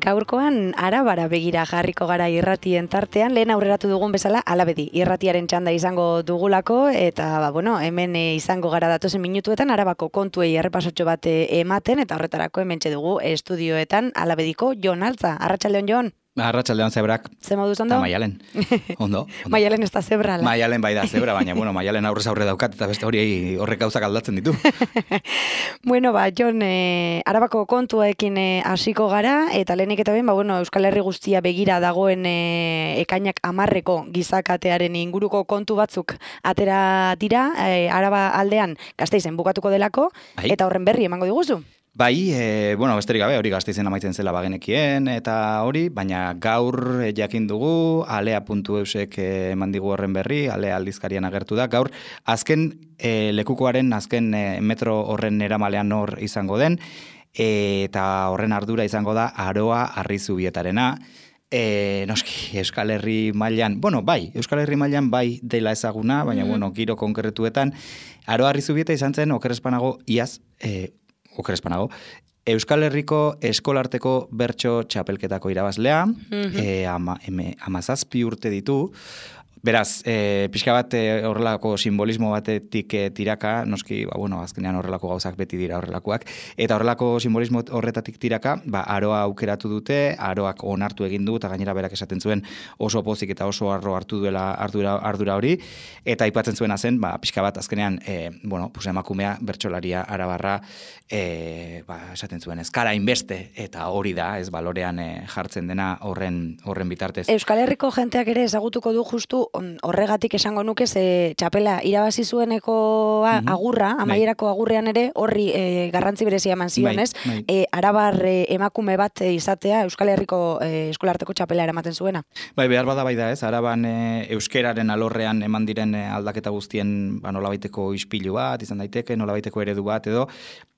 Gaurkoan Arabara begira jarriko gara irratien tartean, lehen aurreratu dugun bezala Alabedi irratiaren txanda izango dugulako, eta hemen izango gara datozen minutuetan Arabako kontuei errepasotxo bat ematen, eta horretarako hementxe dugu estudioetan Alabediko Jon Altza. Arratsaldeon, Jon. Arratsaldeon zebrak. Ze moduz ondo? Eta Maialen. Ondo. Maialen ez da zebra. Maialen bai da zebra, baina Maialen aurrez aurre daukat, eta beste hori horrek gauzak aldatzen ditu. Jon, Arabako kontuekin hasiko gara, eta lehenik eta ben, Euskal Herri guztia begira dagoen ekainak 10eko gizakatearen inguruko kontu batzuk atera dira, Araba aldean Gasteizen bukatuko delako, eta horren berri emango diguzu. Bai, besterik gabe, hori Gasteizen amaitzen zela bagenekien, eta hori, baina gaur jakin dugu, alea.eusek eman digu horren berri, alea aldizkarian agertu da, gaur azken lekukoaren, azken metro horren eramalean hor izango den, eta horren ardura izango da Aroa Arrizubietarena. Noski, Euskal Herri mailan, Euskal Herri mailan bai dela ezaguna, baina, giro konkretuetan, Aroa Arrizubieta izan zen, okerrezpanago, Euskal Herriko eskolarteko bertso txapelketako irabazlea, 17 urte ditu. Beraz, pixka bat horrelako simbolismo batetik tiraka, noski, azkenean horrelako gauzak beti dira horrelakoak, eta horrelako simbolismo horretatik tiraka, Aroa aukeratu dute, Aroak onartu egin du, eta gainera berak esaten zuen oso pozik eta oso arro hartu duela ardura hori, eta aipatzen zuena zen, pixka bat azkenean, emakumea, bertsolaria, arabarra, esaten zuen, ezkara inbeste, eta hori da, ez balorean jartzen dena horren bitartez. Euskal Herriko jenteak ere ezagutuko du justu horregatik esango nuke, ze txapela irabazi zueneko agurra, amaierako agurrean ere, horri garrantzi berezia eman zion, ez? Arabar emakume bat izatea Euskal Herriko eskolarteko txapela eramaten zuena. Behar bada bai da, ez? Araban euskeraren alorrean eman diren aldaketa guztien nolabaiteko ispilu bat, izan daiteke, nolabaiteko eredu bat edo,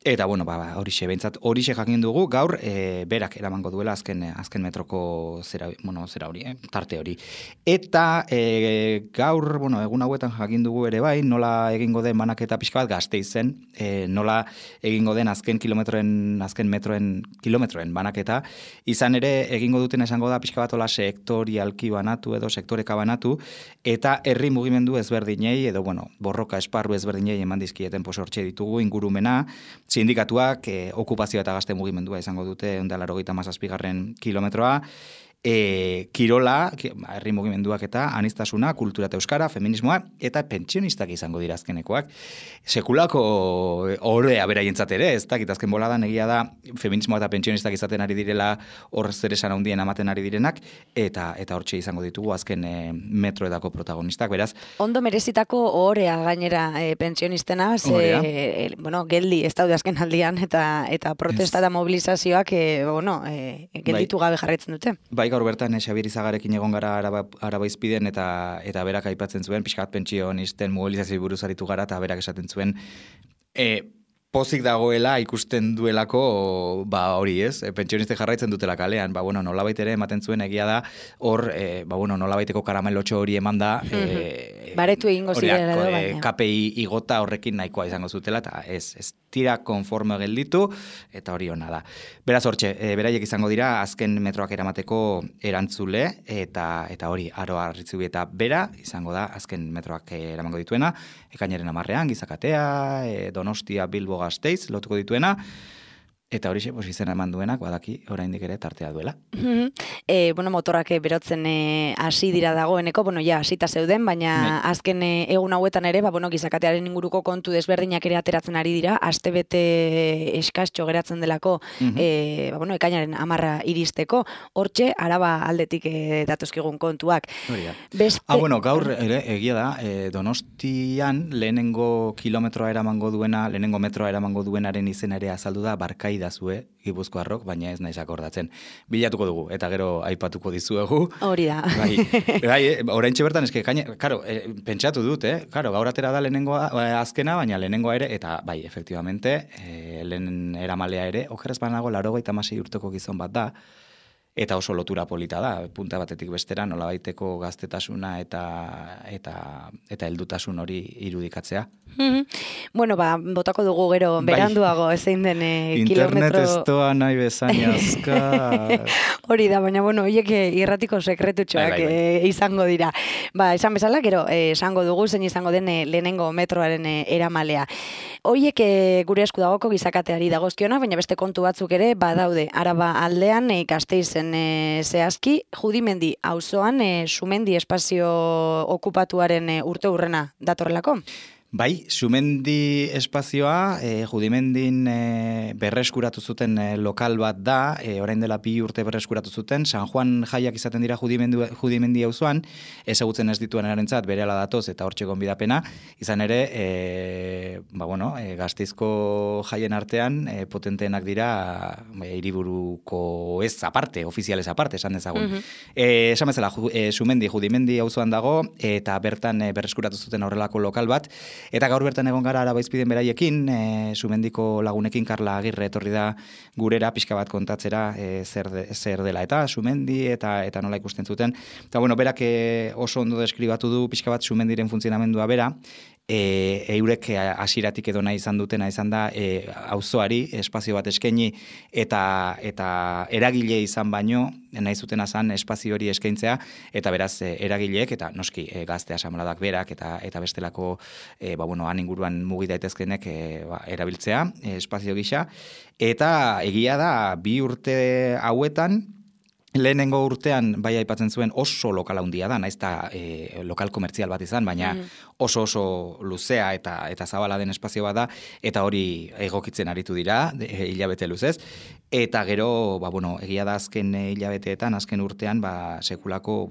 eta horixe, behintzat, horixe jakin dugu, gaur berak eramango duela azken metroko zera hori, tarte hori. Eta gaur, egun hauetan jakin dugu ere bai, nola egingo den banaketa pixka bat Gasteizen, nola egingo den azken metroen kilometroen banaketa, izan ere egingo duten esango da pixka bat ola sektorialki banatu edo sektoreka banatu, eta herri mugimendu ezberdinei, edo borroka esparru ezberdinei eman dizkieten hortxe ditugu ingurumena, sindikatuak okupazioa eta gazte mugimendua izango dute 187. Kilometroa, kirola, herri mugimenduak eta anistasuna, kultura eta euskara, feminismoa, eta pentsionistak izango dira azkenekoak. Sekulako orea beraientzat ere, ez dakit azken boladan egia da feminismoa eta pentsionistak izaten ari direla hor zer esan handien amaten ari direnak, eta hortxe izango ditugu azken metroetako protagonistak, beraz. Ondo merezitako orea gainera pentsionistena, geldi ez daude azken aldian, eta protesta eta mobilizazioak gelditu gabe jarraitzen dute. Bai, gaur bertan Xabier Izagarekin egon gara Arabaizpiden eta berak aipatzen zuen, pixkat pentsionisten mobilizazio buruz aritu gara, eta berak esaten zuen, pozik dagoela ikusten duelako, hori ez, pentsioniste jarraitzen dutela kalean, nolabait ere ematen zuen egia da, hor, nolabaiteko karamelotxo hori eman da, baretu egingo zirela edo, baina. KPI igota horrekin nahikoa izango zutela, eta ez tira konforme gelditu, eta hori ona da. Beraz hortxe, beraiek izango dira, azken metroak eramateko erantzule, eta hori, Aroa Arritzubieta bera, izango da, azken metroak eramango dituena, ekainaren 10ean, Gizakatea, Donostia, Bilbo, Gasteiz, lotuko dituena, eta horixe, izena eman duenak, badaki, oraindik ere tartea duela. Motorrak berotzen hasi dira dagoeneko, hasita zeuden, baina azken egun hauetan ere, Gizakatearen inguruko kontu desberdinak ere ateratzen ari dira, astebete eskastxo geratzen delako, ekainaren 10 iristeko, hortxe, Araba aldetik datozkigun kontuak. Gaur ere, egia da, Donostian lehenengo kilometroa eramango duena, lehenengo metroa eramango duenaren izena ere azaldu da, Barkai dazue, Gipuzkoarrok, baina ez naiz akordatzen. Bilatuko dugu, eta gero aipatuko dizuegu. Hori da. Oraintxe bertan, pentsatu dut, gaur atera da lehenengo azkena, baina lehenengoa ere, eta bai, efektibamente, lehen eramalea ere, okerrez banago 96 urteko gizon bat da, eta oso lotura polita da, punta batetik bestera, nolabaiteko gaztetasuna eta heldutasun hori irudikatzea. Bueno, botako dugu gero beranduago ezein den kilometro... Internet ez doa nahi bezainazka... Hori da, baina, bueno, hiek irratiko sekretutxoak izango dira. Esan bezala, gero, esango dugu, zein izango den lehenengo metroaren eramalea. Hoiek gure esku dagoko gizakateari dagozkiona, baina beste kontu batzuk ere badaude. Araba aldean, Gasteizen zehazki, Judimendi auzoan Sumendi espazio okupatuaren urte hurrena datorrelako? Bai, Sumendi espazioa, Judimendin berreskuratu zuten lokal bat da, orain dela 2 urte berreskuratu zuten, San Juan jaiak izaten dira Judimendi auzoan, ezagutzen ez dituen erantzat berehala datoz eta hortxe gonbidapena, izan ere, Gasteizko jaien artean potenteenak dira hiriburuko ez aparte, ofizialez aparte, esan dezagun. Esan bezala, Judimendi auzoan dago, eta bertan berreskuratu zuten horrelako lokal bat, eta gaur bertan egon gara Arabaizpiden beraiekin, Sumendiko lagunekin Karla Agirre etorri da gurera pixka bat kontatzera zer dela eta Sumendi eta nola ikusten zuten. Eta bueno, berak oso ondo deskribatu du pixka bat Sumendiren funtzionamendua bera, eurek hasieratik edo nahi izan dutena izan da auzoari espazio bat eskaini eta eragile izan baino nahi zutena zan espazio hori eskaintzea eta beraz eragileek eta noski gazte asamladak berak eta bestelako han inguruan mugi daitezkenek erabiltzea espazio gisa eta egia da 2 urte hauetan lehenengo urtean bai aipatzen zuen oso lokal handia da, naiz eta lokal komertzial bat izan, baina oso luzea eta zabala den espazio bat da, eta hori egokitzen aritu dira, hilabete luzez, eta gero, egia da azken hilabeteetan, azken urtean, sekulako,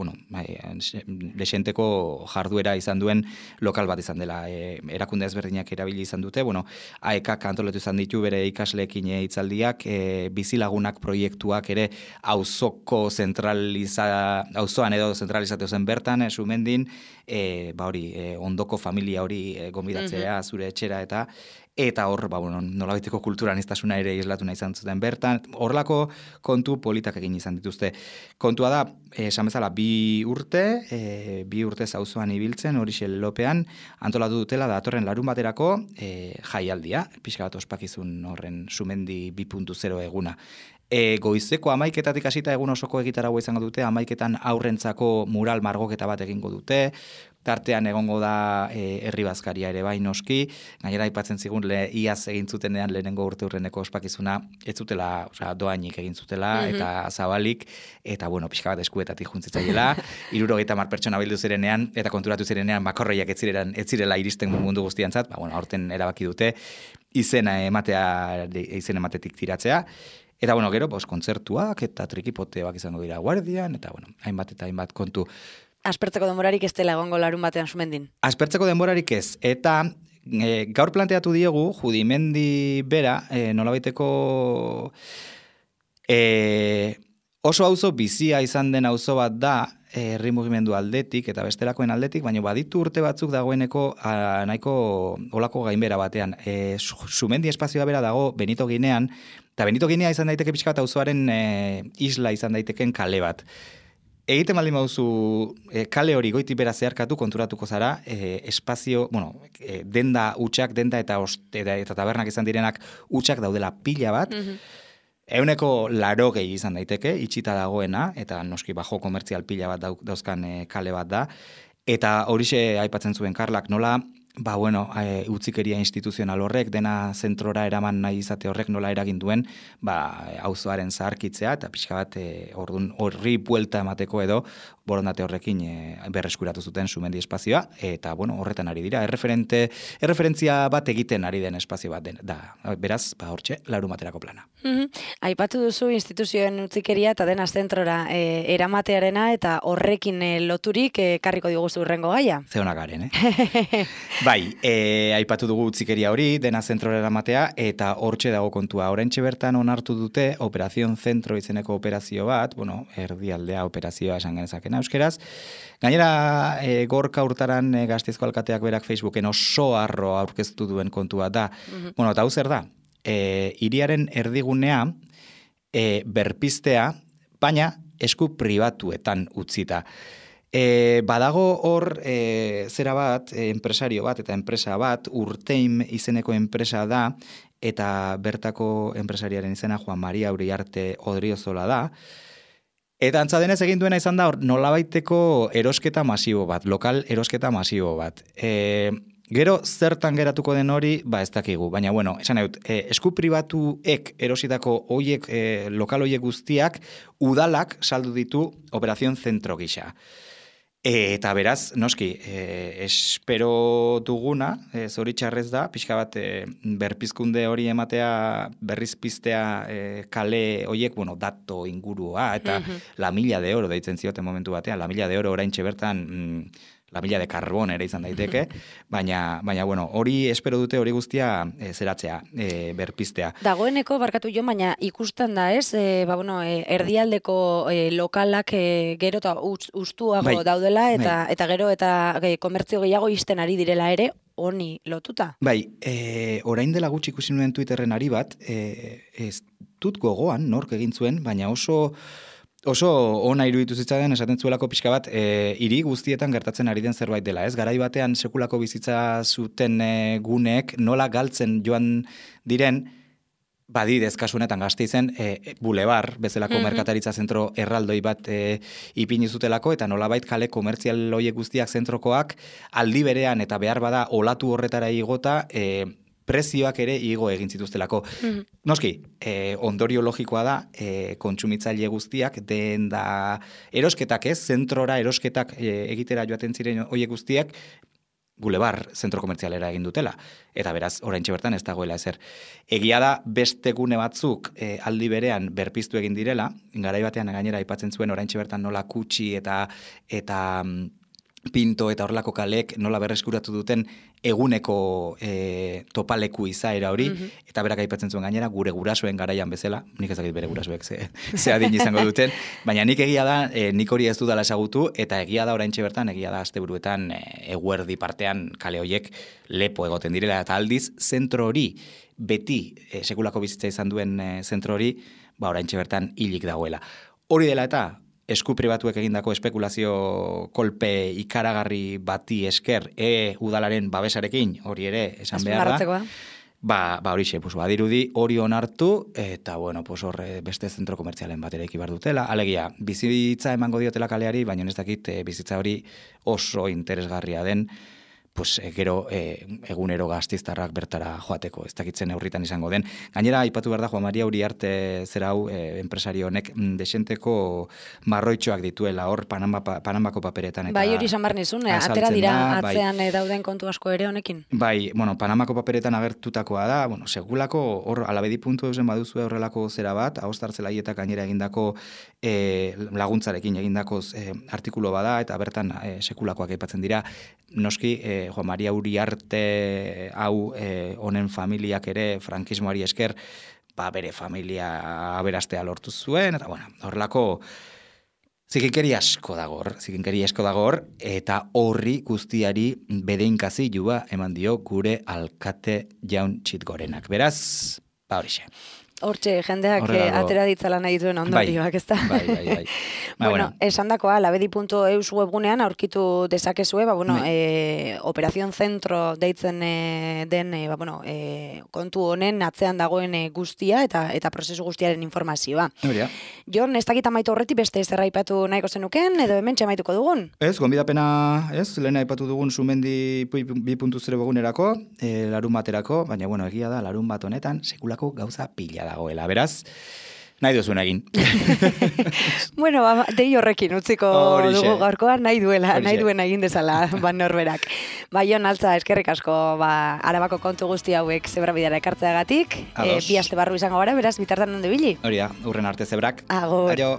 desenteko jarduera izan duen lokal bat izan dela, erakunde ezberdinak erabili izan dute, AEKak antolatu izan ditu bere ikasleekin hitzaldiak, bizilagunak proiektuak ere auzoko auzoan edo zentralizatu zen bertan, Sumendin, ondoko familia hori gonbidatzea zure etxera eta hor, nolabaiteko kulturaniztasuna ere islatu nahi izan zuten bertan, horrelako kontu politak egin izan dituzte. Kontua da, esan bezala, 2 urte auzoan ibiltzen, horixe lelopean, antolatu dutela datorren larun baterako jaialdia, pixka bat ospakizun horren Sumendi 2.0 eguna. Goizeko 11:00 hasita egun osoko egitaragua izango dute, 11:00 aurrentzako mural margoketa bat egingo dute, tartean egongo da herri bazkaria ere bai noski, gainera aipatzen zigun iaz egin zutenean lehenengo urte hurreneko ospakizuna, ez zutela, doainik egin zutela, eta zabalik, eta pixka bat eskuetatik juntzitzaiela, 70 pertsona bildu zirenean, eta konturatu zirenean makorreiak ez zirela iristen mundu guztiantzat, aurten erabaki dute, izen ematetik tiratzea, eta gero, kontzertuak eta trikipoteak izango dira guardian, eta hainbat kontu. Aspertzeko denborarik ez dela egongo larun batean Sumendin? Aspertzeko denborarik ez, eta gaur planteatu diegu, Judimendi bera, nolabaiteko oso auzo bizia izan den auzo bat da, herri mugimendu aldetik eta bestelakoen aldetik, baina baditu urte batzuk dagoeneko nahiko olako gainbera batean. Sumendi espazioa bera dago Benito Ginean, eta Benito Ginea izan daiteke pixka bat auzoaren isla izan daiteken kale bat. Egiten baldin bauzu kale hori goiti bera zeharkatu konturatuko zara, espazio, denda utxak, denda eta tabernak izan direnak utxak daudela pila bat, 180 izan daiteke, itxita dagoena, eta noski bajo komertzial pila bat dauzkan kale bat da, eta horixe aipatzen zuen Karlak nola, utzikeria instituzional horrek, dena zentrora eraman nahi izate horrek nola eragin duen, auzoaren zaharkitzea, eta pixka bat horri buelta emateko edo, borondate horrekin berreskuratu zuten Sumendi espazioa, eta horretan ari dira, erreferentzia bat egiten ari den espazio bat da, beraz, hortxe, larun baterako plana. Aipatu duzu instituzioen utzikeria eta dena zentrora eramatearena, eta horrekin loturik karriko diguzu urrengo gaia? Zeona garen, Bai, aipatu dugu utzikeria hori, dena zentrora eramatea, eta hortxe dago kontua. Oraintxe bertan onartu dute Operación Zentro izeneko operazio bat, erdialdea operazioa esan genezakena euskeraz. Gainera, Gorka Hurtaran Gasteizko alkateak berak Facebooken oso harro aurkeztu duen kontua da. Eta hau zer da, hiriaren erdigunea berpistea, baina esku pribatuetan utzita. Badago hor zera bat, enpresario bat eta enpresa bat, Urteim izeneko enpresa da, eta bertako enpresariaren izena Juan Maria Uriarte Odriozola da. Eta antza denez egin duena izan da nolabaiteko erosketa masibo bat, lokal erosketa masibo bat. Gero zertan geratuko den hori, ez dakigu, baina bueno, esan dut, esku pribatuek erositako lokal hoiek guztiak, udalak saldu ditu Operación Zentro gisa. Eta beraz, noski, espero duguna, zoritxarrez da, pixka bat berpizkunde hori ematea, berrizpiztea kale hoiek, dato ingurua, eta la milla de oro deitzen zioten momentu batean, la milla de oro oraintxe bertan, la milla de carbón ere izan daiteke, baina hori espero dute hori guztia zeratzea, berpiztea. Dagoeneko, barkatu jo, baina ikusten da ez, erdialdeko lokalak gero eta ustuago daudela, eta gero eta komertzio gehiago izten ari direla ere, honi lotuta. Orain dela gutxi ikusi nuen Twitterren ari bat, ez dut gogoan, nork egin zuen, baina oso ona iruditu zitzaidan esaten zuelako pixka bat hiri guztietan gertatzen ari den zerbait dela, ez? Garai batean sekulako bizitza zuten guneek nola galtzen joan diren, badidez kasu honetan Gasteizen bulebar bezalako merkataritza zentro erraldoi bat ipini zutelako, eta nolabait kale komertzial hoiek guztiak zentrokoak aldi berean eta behar bada olatu horretara igota prezioak ere igo egin zituztelako. Noski, ondorio logikoa da, kontsumitzaile guztiak, den da erosketak zentrora erosketak egitera joaten ziren hoiek guztiak, bulebar zentro komertzialera egin dutela. Eta beraz, oraintxe bertan ez dagoela ezer. Egia da, beste gune batzuk aldi berean berpiztu egin direla, garai batean gainera aipatzen zuen oraintxe bertan nola Kutxi eta Pinto eta horrelako kalek nola berreskuratu duten eguneko topaleku izaera hori, eta berak aipatzen zuen gainera gure gurasoen garaian bezala, nik ezakit bere gurasoek ze adin izango duten, baina nik egia da, nik hori ez dudala esagutu, eta egia da oraintxe bertan, egia da asteburuetan eguerdi partean kale hoiek lepo egoten direla, eta aldiz, zentro hori, beti sekulako bizitza izan duen zentro hori, oraintxe bertan hilik dagoela. Hori dela eta, esku pribatuek egindako espekulazio kolpe ikaragarri bati esker udalaren babesarekin, hori ere esan behar da. Horixe, badirudi hori onartu, eta hor beste zentro komertzialen bat ere ikibar dutela. Alegia, bizitza emango diotela kaleari, baina ez dakit bizitza hori oso interesgarria den, gero egunero Gasteiztarrak bertara joateko, ez dakitzen neurritan izango den. Gainera, aipatu behar da, Juan Maria Uriarte zera hau, enpresario honek, desenteko marroitxoak dituela, hor Panamako paperetan. Hori izan behar nizun, atera dira atzean dauden kontu asko ere honekin? Panamako paperetan agertutakoa da, segulako, hor alabedi.eu baduzu horrelako zera bat, Ahostartzelaietak gainera egindako laguntzarekin egindako artikulo bada, eta bertan sekulakoak aipatzen dira, noski, Juan Maria Uriarte hau honen familiak ere frankismoari esker bere familia aberastea lortu zuen, eta horrelako zikinkeri asko dago hor, eta horri guztiari bedeinkazi jua eman dio gure alkate Jaun Txitgorenak. Beraz, horixe. Hortxe, jendeak atera ditzala nahi duen ondorioak, ez da? Bai. Esan dakoa, labedi.eus webgunean aurkitu dezakezue, Operación Zentro deitzen den kontu honen atzean dagoen guztia eta prozesu guztiaren informazioa. Jon, ez dakit amaitu horretik beste zerra aipatu nahiko zenuken, edo hemen txamaituko dugun? Ez, gonbidapena, lehen aipatu dugun Sumendi 2.0 webgunerako, larun baterako, baina egia da, larun bat honetan, sekulako gauza pila dagoela, beraz, nahi duzun egin. Dei horrekin utziko dugu gaurkoan, nahi duen egin dezala norberak. Jon, altza, eskerrik asko, Arabako kontu guzti hauek zebra bidara ekartzeagatik, bi aste barru izango gara, beraz, bitartan ondo ibili. Hori da, urren arte zebrak. Agur. Aio.